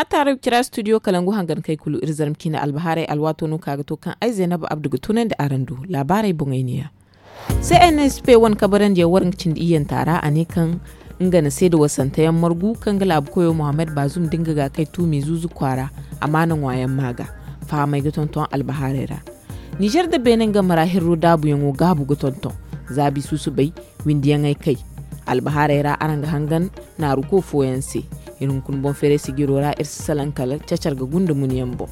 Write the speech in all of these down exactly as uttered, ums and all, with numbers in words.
A taarey cira studio kalangu hangan kay kulu iri zarma ciine albahaarey alwaato no ka ga to kaŋ ay zaynab abdu ga tunandi araŋ do. Laabaarey boŋey neeya. C n s p wane kabarandiyaŋ waraŋ cindi iyyanta ra a ne kaŋ nga na seeda wasanteyaŋ margu kaŋ ga laabu koyo muhammad bazum da nga ga kay tuumi zuuzu kwaara. Amaana ŋwaayaŋ maaga fahamey ga tonton albahaarey ra. Nizer da beene nga mara hirro daabuyaŋo gaabu ga tonton. Zaabi susubay windiyaŋey kay. Albahaarey ra araŋ ga hangan naaruko fooyaŋ se. Iri hunkuna boŋ feeray sijiro ra iri si salaŋ kala cacar ga gunda munyaŋ boŋ.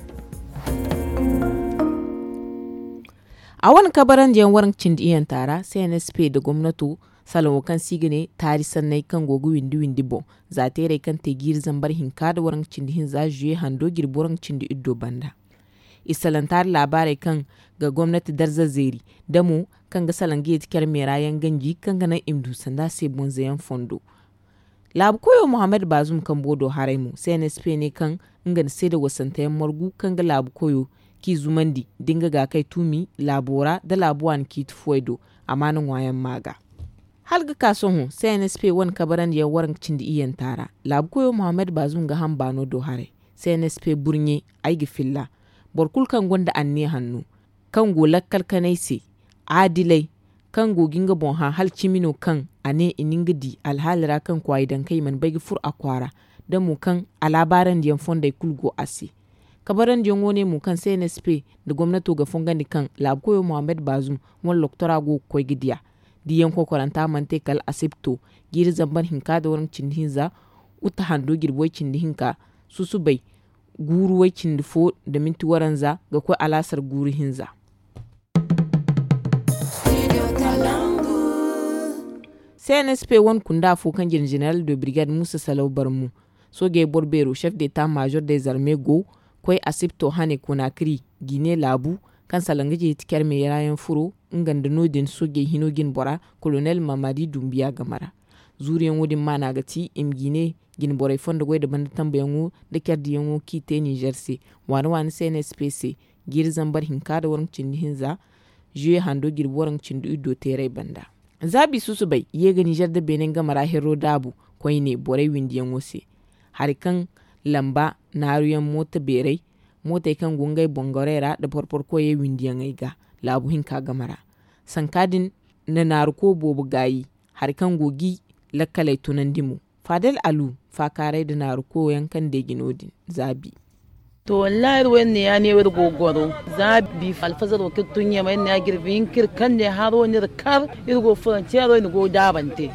A wane kabarandiyaŋ waraŋ cindi iyanta ra c n s p nda gomnato salaŋo kaŋ se i ga ne taari sanney kaŋ go ga windi windi boŋ. Za teerey kaŋ te jiiri zambar hinka nda waraŋ cindi hinza zuye hando jirbi waraŋ cindi iddo banda. I salaŋ taari laabaarey kaŋ ga gomnati darza zeeri da mo kaŋ ga salaŋ ga yeeti care meera yaŋ ganji kaŋ ga naŋ i ma du sanda se bonzayaŋ fondo. Laabu koyo muhammad bazum kambo do haray mo c n s p ne kaŋ nga na seeda wasanteyaŋ margu kaŋ ga laabu koyo k'i zumandi da nga ga kay tuumi laabo ra nda laabu waani ciiti fuwey do. Amaana ŋwaayaŋ maaga. Hala ga ka sohõ c n s p wane kabarandiyaŋ waraŋ cindi iyyanta ra laabu koyo muhammad bazum ga ham baano do haray. C n s p burɲe ay ga filla boro kulu kaŋ gonda anniya hanno kaŋ go lakkal kanay se, aadilay kaŋ go ga nga boŋ hã hala cimi no kaŋ a ne i na nga di alhaali ra kaŋ kwaayi daŋ kaŋ i mana bay ga furo a kwaara. Da mo kaŋ a laabaarandi yaŋ fondey kulu go a se. Kabarandiyaŋo ne mo kaŋ c n s p nda gomnato ga fongandi kaŋ laabu koyo muhammad bazum wane loktora go ga koy ga diya. Diyaŋ kokoranta mana te kala asibto jiiri zambar hinka nda waraŋ cindi hinza. Uta hando jirbi way cindi hinka susubay guuru way cindi fo nda minti waranza ga koy alaasar guuru hinza. C n s p wane kunda fo kaŋ jina jeneral de birgad musa salaw barmu soojey boro beero chef de ta major de zarme go koy asibto hane konakri gine laabu kaŋ salaŋ ga jeeti care meera yaŋ furo nga nda no- din soojey hino jine bora kolonel mamadi dumbiya game ra. Zuuriyaŋo din maana ga ti i ma gine jine borey fondo goy nda banda tambuyaŋo nda care diyaŋo kaŋ i te nizer se waane waane c n s p se jiiri zambar hinka nda waraŋ cindi hinza zuye hando jirbi waraŋ cindi iddo teeray banda. Zaabi susubay ye ga nizer nda beene game ra herro daabu koyne borey windiyaŋo se hari kaŋ lamba naaruyaŋ mooto beerey mootey kaŋ go ngey boŋ gorey ra nda porpor koyey windiyaŋey ga laabu hinka game ra. Sanka din na naaru ko boobo gaayi hari kaŋ go g'i lakkaley tunandi mo. Faadal alu faakaaray nda naaru ko yaŋ kaŋ deeji no- din zaabi. To wallaahi iri wo iri ne ya ne wo iri go ga goro zaabi alfazaro kaŋ iri tun ɲamay iri ne ya jirbi hinka iri kande haro no iri kar iri go furancero iri go daabante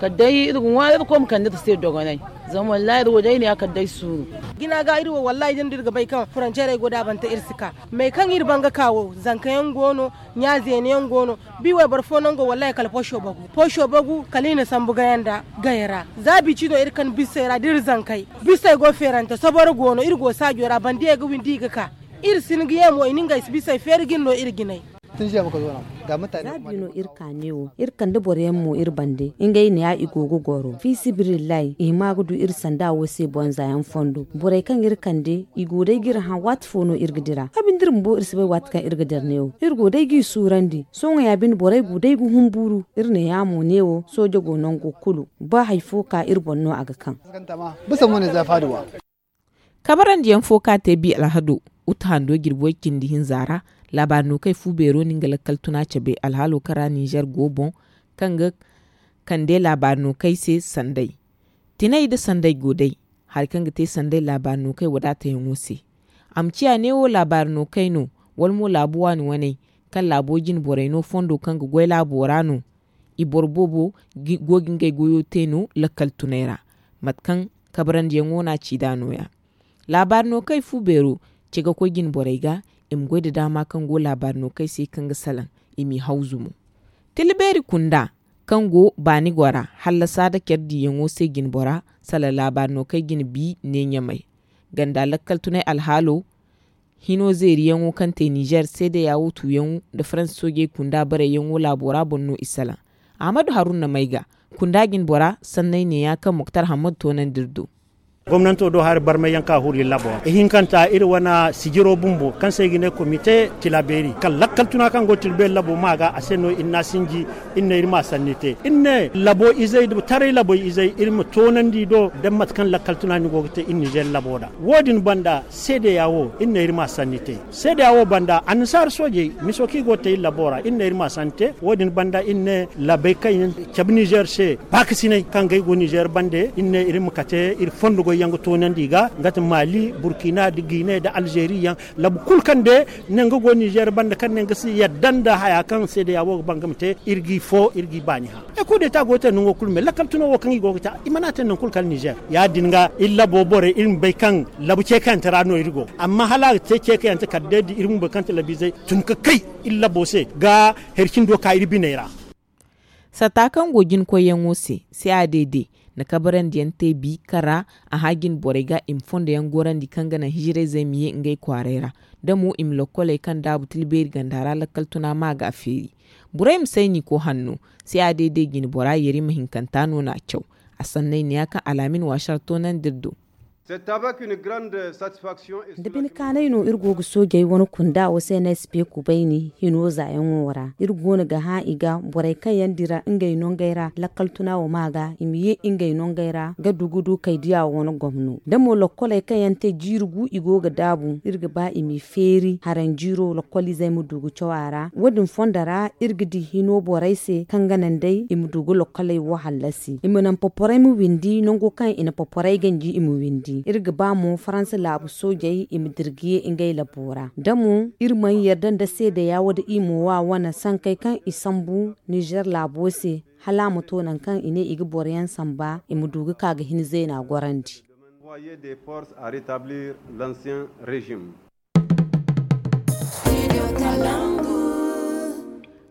kala day iri ga ŋwaari iri koy ma kande iri se dogonay. Zama wallaahi iri wo day iri ne ya kala day suuru. Jina ga iri wo wallaahi da iri ga bay kaŋ furancerey go daabante iri si ka. Mey kaŋ iri ban ga ka wo zanka yaŋ go no ɲa zeena yaŋ go no. Bi wayboro fo nango wallaahi kala poso bagu poso bagu kala i na sambu gayanda gaya ra. Za bici no iri kan bisey ra da iri zankey bisey go feerante soboro go no iri go saajo ra bandiyey ga windi i ga ka. Iri si ni ga ye mo i na ngey bisey feeri jine no iri jinay. Za bi no iri ka neewo iri kande boro yaŋ mo iri bande ngey ne ya i go ga goro fiisabilillahi i hima ga du iri sanda wo se bonza yaŋ fondo borey kaŋ iri kande i go day ga iri hã waati fo no iri ga dira a binde iri bumbo iri si bay waati kaŋ iri ga dira neewo iri go day g'i suurandi sohõ ya binde borey go day ga humburu iri ne ya mo neewo sooje go nango kulu ba hari fo ka iri boŋ no a ga kaŋ. Kabarandiyaŋ fo kaŋ a te bi alhado uta hando jirbi way cindi hinza ra laabaari no kay fu beero no nga lakkal tuna cabe alhaalo kaŋ ra nizer go boŋ kaŋ ga kande laabaari no kay se sanday. Tinay nda sanday go day hari kaŋ ga te sanday laabaari no kay wadaatayaŋo se. A ma ciya neewo laabaari no kay no wala mo laabu waani waney kaŋ laabo jine borey no fondo kaŋ ga goy laabo ra no. I boro boobo go ga ngey goyo te no lakkal tunay ra mate kaŋ kabarandiyaŋo no a ci nd'a nooya. Laabaari no kay fu beero ce ga koy jine borey ga i ma goy nda daama kaŋ go laabaari no kay se kaŋ ga salaŋ i m'i hawzu mo. Tila beeri kunda kaŋ go baani gora hallasa nda care diiyaŋo se jine bora sala laabaari no kay jine bi ne ɲamay. Ganda lakkal tunay alhaalo hino zeeriyaŋo kaŋ te nizer seedeya wo tuuyaŋo nda faransa soojey kunda barayyaŋo laabo ra boŋ no i salaŋ. Ahmadu haruna may ga kunda jine bora sanney neeya kaŋ moktar hammadu toonandi iri do. Gomnanto do hari barmay yaŋ ka huri labo ra ihinkanta iri wane sijiro bumbo kaŋ se i ga ne komite tilabeeri kala lakkal tuna kaŋ go tilbeeri labo ma ga a se no iri na sinji. Iri ne iri ma sanni te iri ne labo izey da taray labo izey iri ma toonandi do da mate kaŋ lakkal tuna ni go ga te iri nizer labo ra. Wo- din banda seedeya wo iri ne iri ma sanni te. Seedeya wo banda annasaara soojey miso kaŋ i go ga te iri labo ra iri ne iri ma sanni te. Wo- din banda iri ne labey kaŋ yaŋ cabe nizer se baakasinay kaŋ ga ay go nizer bande iri ne iri ma kate iri fondo goy yaŋ ga toonandi i ga nga ti mali burkina nda gine nda alzeeri yaŋ. Labu kulu kaŋ de ne nga go nizer banda kaŋ ne nga si yadda nda haya kaŋ seedeya wo ga ba nga ma te iri g'i fo iri g'i baani hã. Ay kulu day ta go ga te nango kulu me lakkal tuno wo kaŋ i go ga te i mana te nangu kulu kala nizer. Ya- din ga iri labo borey iri ma bay kaŋ labu ceekayante ra no iri go amma hala a ga te ceekayante kala day da iri bumbo kaŋ ti labiizey tun ga kay iri labo se ga hari cindo ka iri biney ra. Satta kaŋ go jina koyyaŋo se, se a deede na kabarandiyaŋ te bi kaŋ ra a hã jina borey ga i ma fondo yaŋ gorandi kaŋ ga naŋ hijirayzey ma ye ngey kwaaray ra. Da mo i ma lokkoley kaŋ daabu tilbeeri ganda ra lakkal tuna ma ga a feeri. Borey ma say n'i ko hanno. Se a deede jina bora yerima hinkanta no n'a caw. A sanney neeya kaŋ alaamin waasar toonandi iri do. Da bine kaanay no iri go ga soojey wane kunda wo se na sp kubayni hino zaayaŋo ra iri go no ga hã i ga borey kaŋ yaŋ dira ngey nongey ra lakkal tuna wo ma ga i ma ye ngey nongey ra ga dugu du kay diya wo wane gomno da mo lokkoley kaŋ yaŋ te jiiri gu i go ga daabu iri ga ba i m'i feeri haranjiiro lokkoliizey ma du ga caw a ra wo- din fondo ra iri ga di hino borey se kaŋ ga naŋ day i ma du ga lokkoley wo hallasi i ma naŋ poporey ma windi nango kaŋ i na poporey ganji i ma windi iri ga ba mo faransa laabu soojey i ma dira ga ye ngey labo ra da mo iri mana yarda nda seedeya wo da i ma wa wane sankey kaŋ i sambu nizer laabo se hala a ma to nangu kaŋ i ne i ga boro yaŋ samba i ma du ga ka ga hin zeena gorandi.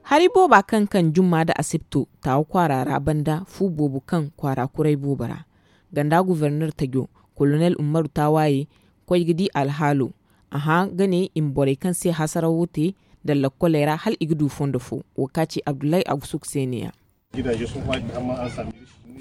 Hari booba kaŋ kaŋ jumma nda asibto taawa kwaara ra banda fu boobo kaŋ kwaara kuray boobo ra ganda goforner tajo kolonel ummaru taawaye koy ga di alhaalo. A hã ga ne i ma borey kaŋ se hasarawo te nda lakkoley ra hala i ga du fondo fo. Wo ka ci abdullahi agusuk se ne- ya.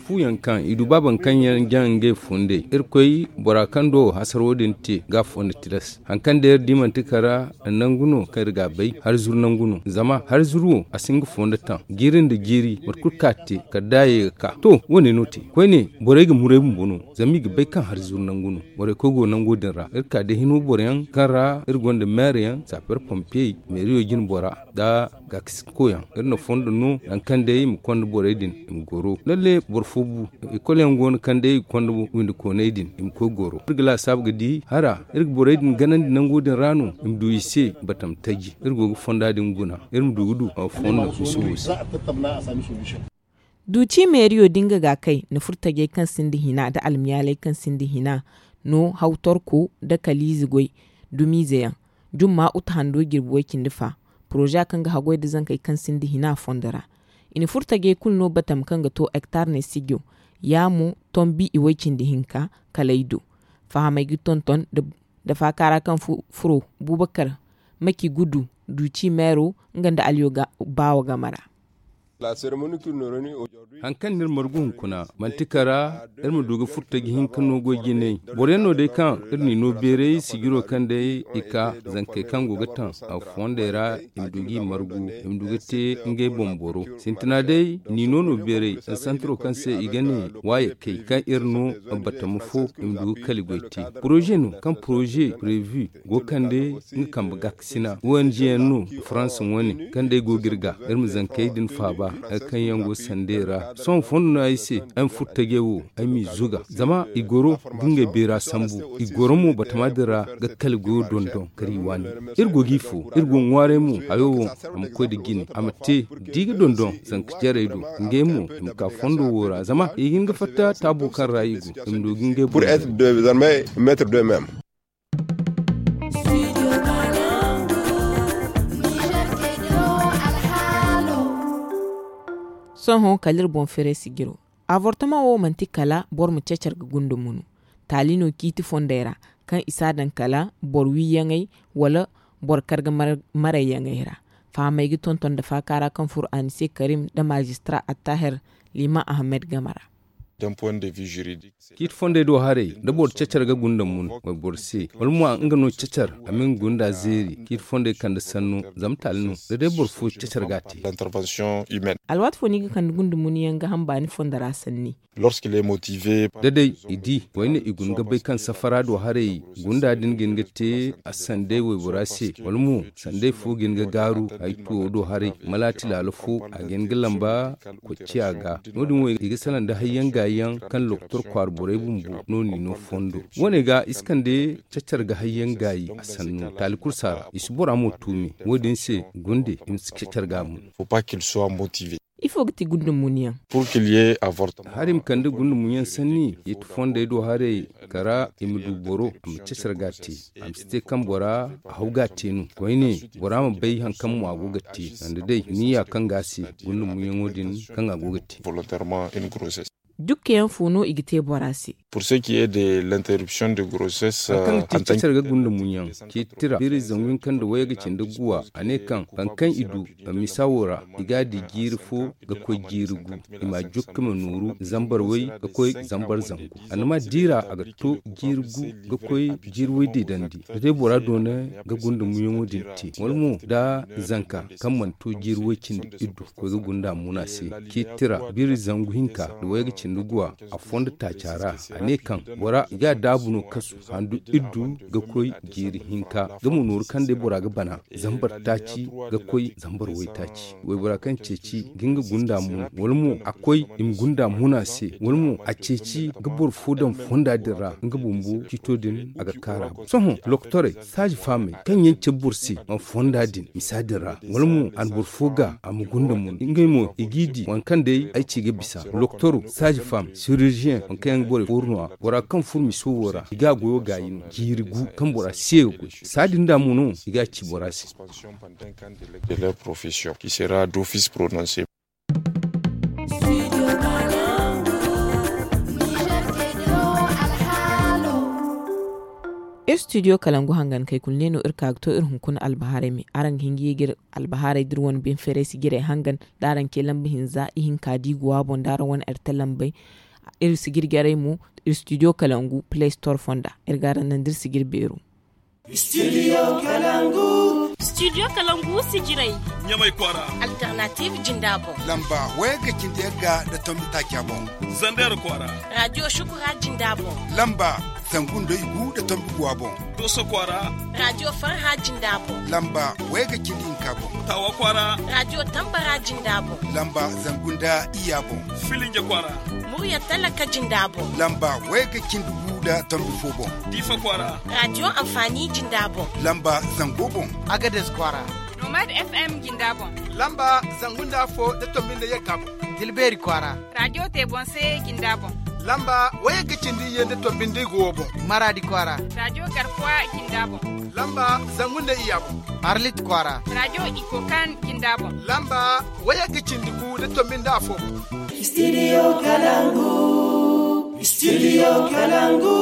Fuyaŋ kaŋ i du baaba kaŋ yaŋ jaŋ ngey fondey iri koy bora kaŋ do hasaro din te ga fondo tilas hari kaŋ day iri di manti kara nangu no kaŋ iri ga a bay hari zuru nangu no zama hari zuru wo a si nga fondo taŋ jiiri nda jiiri mate kulu kaŋ a te kala da a ye ga ka to wo- ne no te koyne borey ga muray bumbo no zama i ga bay kaŋ hari zuru nangu no. Borey koy go nango din ra iri ka day hino boro yaŋ kaŋ ra iri gonda meere yaŋ saper pompiyey meeriyo jine bora nda gaakasinkoyaŋ iri na fondo no nangu kaŋ day i ma konda borey din i ma goro lalle boro fo bu. Ikol yaŋ go no kaŋ day i ga konda windi kooney din i ma koy goro iri ga laasaabu ga di hara iri ga borey din ganandi nango din ra no i ma du i se batam taji iri go ga fonda din guna iri ma du ga du fondo miso wo se. Duuci meeriyo da nga ga kay na furtajey kaŋ sinda hina nda almiyaaley kaŋ sinda hina no hawtorko nda kaliize goy dumiize yaŋ jumma uta hando jirbi way-cindi fa poroza kaŋ ga haggoy nda zankey kaŋ sinda hina fondo ra. I na furtajey kulu no batam kaŋ ga to hektar ne sijo ya mo tombi i way-cindi hinka kala ay do fahamey ga tonton nda faaka ra kaŋ furo bubakar maki gudu duuci meero nga nda aliyo baawo game ra. Hari kaŋ no iri margu hunkuna manti kara iri ma du ga furtaji hinka no goy jinay boro yaŋ no day kaŋ iri n'i no beeray sijiro kaŋ day i ka zankey kaŋ go ga taŋ a fondey ra i ma du g'i margu i ma du ga te ngey boŋ boro sintina day n'i no no beeray santiro kaŋ se i ga ne waayakey kaŋ iri no batama fo i ma du ga kali goy te poroze no kaŋ poroze prevu go kande nga kambe gaakasina ong yaŋ no faransa wane kaŋ day go ga iri ga iri ma zankey din faaba hari kaŋ yaŋ go sandey ra sohõ fondo no ay se ay ma furo tajey wo ay m'i zuga zama i goro ga ngey beera sambu i goro mo batama din ra ga kala goyo dondon kar i waani iri go g'i fo iri go ŋwaaray mo hayo wo a ma koy nda jine a ma te da i ga dondon zanka jarey do ngey mo i ma ka fondo wo ra zama i ga hin ga fatta taabo kaŋ ra i go i ma du ga ngey boro. Sohõ kala iri boŋ feeray sijiro avortama wo manti kala boro ma cecar ga gunda munu taali no ciiti fondey ra kaŋ i si a daŋ kala boro wiiyaŋey wala boro karga marayyaŋey ra. Fahamey ga tonton nda faaka ra kaŋ furo anise karim nda maajistara attahir liman ahamed game ra. D'un point de vue juridique, ciiti fondey do haray da boro cacar ga gunda mun wayboro se, wala mo a nga no cacar a ma nga gunda zeeri. Ciiti fondey kande sanno zama taali no da day boro fo cacar ga a te. Alwaati fo no i ga kande gunda mun yaŋ ga hamba ni fondo ra sanni. Da day i di wayne i guna ga bay kaŋ safara do haray gunda din ga hin ga te a sanday waybora se, wala mo sanday fo ga hin ga gaaru ay tuwo do haray malaati laalo fo a ga hin ga lamba kocciya ga. No- din wo i ga salaŋ da hayyaŋ gaayi yaŋ kaŋ lokotor kwaara borey bumbo no n'i no fondo. Wo- ne ga i si kande cacar ga hayyaŋ gaayi a sannu taali kulu si a ra i si bora mo tuumi. Wo- din se gunde i ma si cacar ga a mun. Ifo ga ti gunda mun yaŋ? Hari i ma kande gunda mun yaŋ sanni i ti fondey do haray kara i ma du boro a ma cacar ga a te. A ma si te kaŋ bora a haw ga a te no koyne bora ma bay hari kaŋ mo a go ga te. Sanda day niyya kaŋ ga a se gunda mun yaŋo din kaŋ a go ga te. Dukka yaŋ fo no i ga te bora se? Hari kaŋ ga ti cacar ga gunda mun yaŋ ciiti tira biiri zangu hinka nda wayga cindi guwa a ne kaŋ hari kaŋ i du misa wo ra i ga a di jiiri fo ga koy jiiri gu. I ma a jukka ma nooru zambar way ga koy zambar zangu. A na ma diira a ga to jiiri gu ga koy jiiri way deedandi. Da day bora doona ga gunda muyaŋo din te wala mo da zanka kaŋ mana to jiiri way cindi iddu koy ga gunda a muna se. Ciiti tira biiri zangu hinka nda wayga cindi guwa a fondo taaca ra. A ne kaŋ bora i ga a daabu no kasu handu iddu ga koy jiiri hinka ga ma nooru kaŋ day bora ga bana zambar taaci ga koy zambar waytaaci. Waybora kaŋ ceeci ga nga gunda mun wala mo a koy i ma gunda muna se wala mo a ceeci ga boro fo daŋ fonda din ra nga bumbo ciito din a ga kaara boŋ sohõ lokotorey saaji faamey kaŋ yaŋ cabe boro se a fonda din misa din ra wala mo a na boro fo ga a ma gunda mun ngey mo i g'i di waŋ kaŋ day ay ci ga bisa lokotoro saaji faam siriziyeŋ waŋ kaŋ yaŋ ga borey fooru no- ya bora kaŋ furo miso wo ra i ga a goyo gaayi no jiiri gu kaŋ bora se ga goy saadin da mo no i ga a ci bora se. Iri studio kalangu hangan kay kulu ne no iri ka ga to iri hunkuna albahaarey me araŋ ga hin ga ye ga iri albahaarey da iri wane bine feeray sijirey hangan da araŋ ce lamba hinza ihinka da i go a boŋ da araŋ wane arte lambey. Iri sijir jarey mo iri studio kalangu play store fonda iri ga araŋ naŋ da iri sijir beero. Studio kalangu. Studio kalangu sijirey. Ɲamay kwaara. Alternative jinda boŋ. Lamba wayga cindi yagga nda tombi taaca boŋ. Zander kwaara. Radio shukura jinda boŋ. Lamba zangu nda igu nda tombi guwa boŋ. Doso kwaara. Radio farha jinda boŋ. Lamba wayga cindi hinka boŋ. Tawa kwaara. Radio tambara jinda boŋ. Lamba zangu nda iyya boŋ. Filinje kwaara. Murya talaka jinda boŋ. Lamba wayga cindi gu nda tombi fo boŋ. Diifa kwaara. Radio amfani jinda boŋ. Lamba zango boŋ. Agades kwaara. Nomad FM jinda boŋ. Lamba zangu nda afo nda tombi nda yagga boŋ. Dilbeeri kwaara. Radio te boŋ se jinda boŋ. Lamba wayagga cindi iyye nda tombi nda igu wo boŋ. Maraadi kwaara. Radio garkuwa jinda boŋ. Lamba zangu nda iyya boŋ. Arlit kwaara. Radio ikokan jinda boŋ. Lamba wayagga cindi gu nda tombi nda afo boŋ. Studio kalangu. Studio kalangu.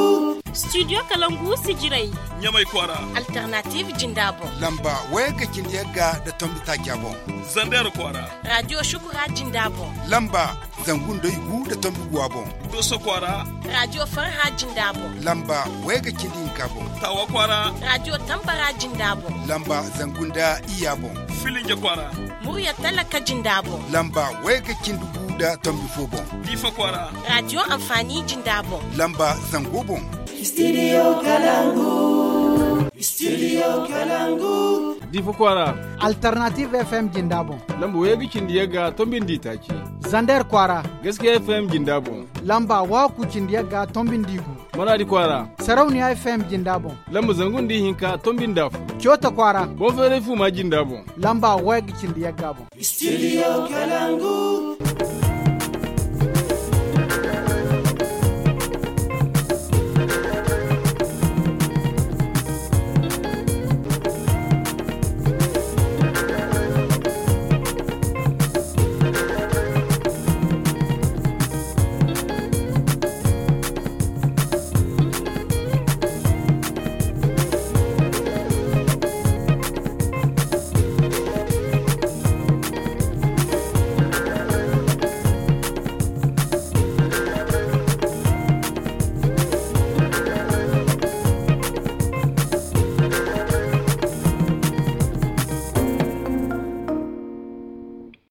Studio kalangu sijirey. Ɲamay kwaara. Alternative jinda boŋ. Lamba wayagga cindi yagga nda tombi taaca boŋ. Zander kwaara. Radio shukura jinda boŋ. Lamba zangu nda igu nda tombi guwa boŋ. Doso kwaara. Radio farha jinda boŋ. Lamba wayga cindi hinka boŋ. Tawa kwaara. Radio tambara jinda boŋ. Lamba zangu nda iyya boŋ. Filinje kwaara. Murya talaka jinda boŋ. Lamba wayga cindi gu nda tombi fo boŋ. Diifa kwaara. Radio amfani jinda boŋ. Lamba zango boŋ. Studio kalangu. Studio kalangu. Diifa kwaara. Alternative FM jinda boŋ. Lamba wayga cindi yagga tombi nda itaaci. Zander kwaara. Gaskiya FM jinda boŋ. Lamba waku cindi yagga tombi nda igu. Maraadi kwaara. Sarauniya FM jinda boŋ. Lamba zangu nda ihinka tombi nda afo. Coota kwaara. Boŋ feeray fuuma jinda boŋ. Lamba wayga cindi yagga boŋ. Studio kalangu.